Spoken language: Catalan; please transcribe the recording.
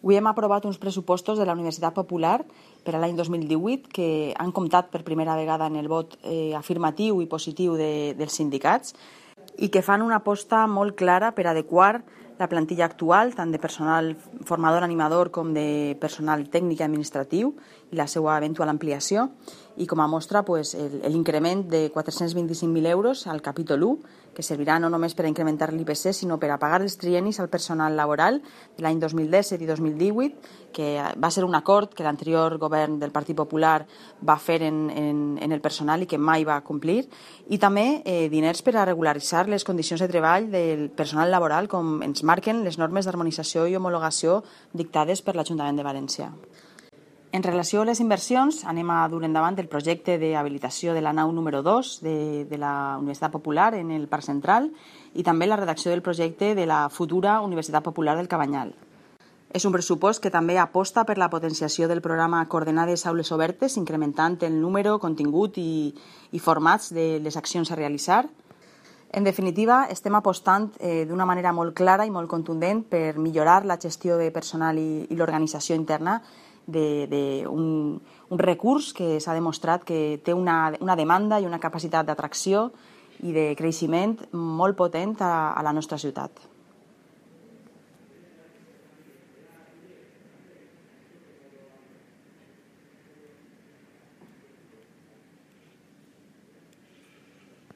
Avui hem aprovat uns pressupostos de la Universitat Popular per a l'any 2018 que han comptat per primera vegada en el vot afirmatiu i positiu dels sindicats i que fan una aposta molt clara per adequar la plantilla actual, tant de personal formador animador com de personal tècnic i administratiu i la seva eventual ampliació, i com a mostra l'increment de 425.000 euros al capítol 1, que servirà no només per a incrementar l'IPC, sinó per a pagar els trienis al personal laboral de l'any 2017 i 2018, que va ser un acord que l'anterior govern del Partit Popular va fer en el personal i que mai va complir, i també diners per a regularitzar les condicions de treball del personal laboral com ens marquen les normes d'harmonització i homologació dictades per l'Ajuntament de València. En relació a les inversions, anem a dur endavant el projecte d'habilitació de la nau número 2 de la Universitat Popular en el Parc Central i també la redacció del projecte de la futura Universitat Popular del Cabanyal. És un pressupost que també aposta per la potenciació del programa Coordenades Aules Obertes, incrementant el número, contingut i formats de les accions a realitzar. En definitiva, estem apostant d'una manera molt clara i molt contundent per millorar la gestió de personal i l'organització interna d'un recurs que s'ha demostrat que té una demanda i una capacitat d'atracció i de creixement molt potent a la nostra ciutat.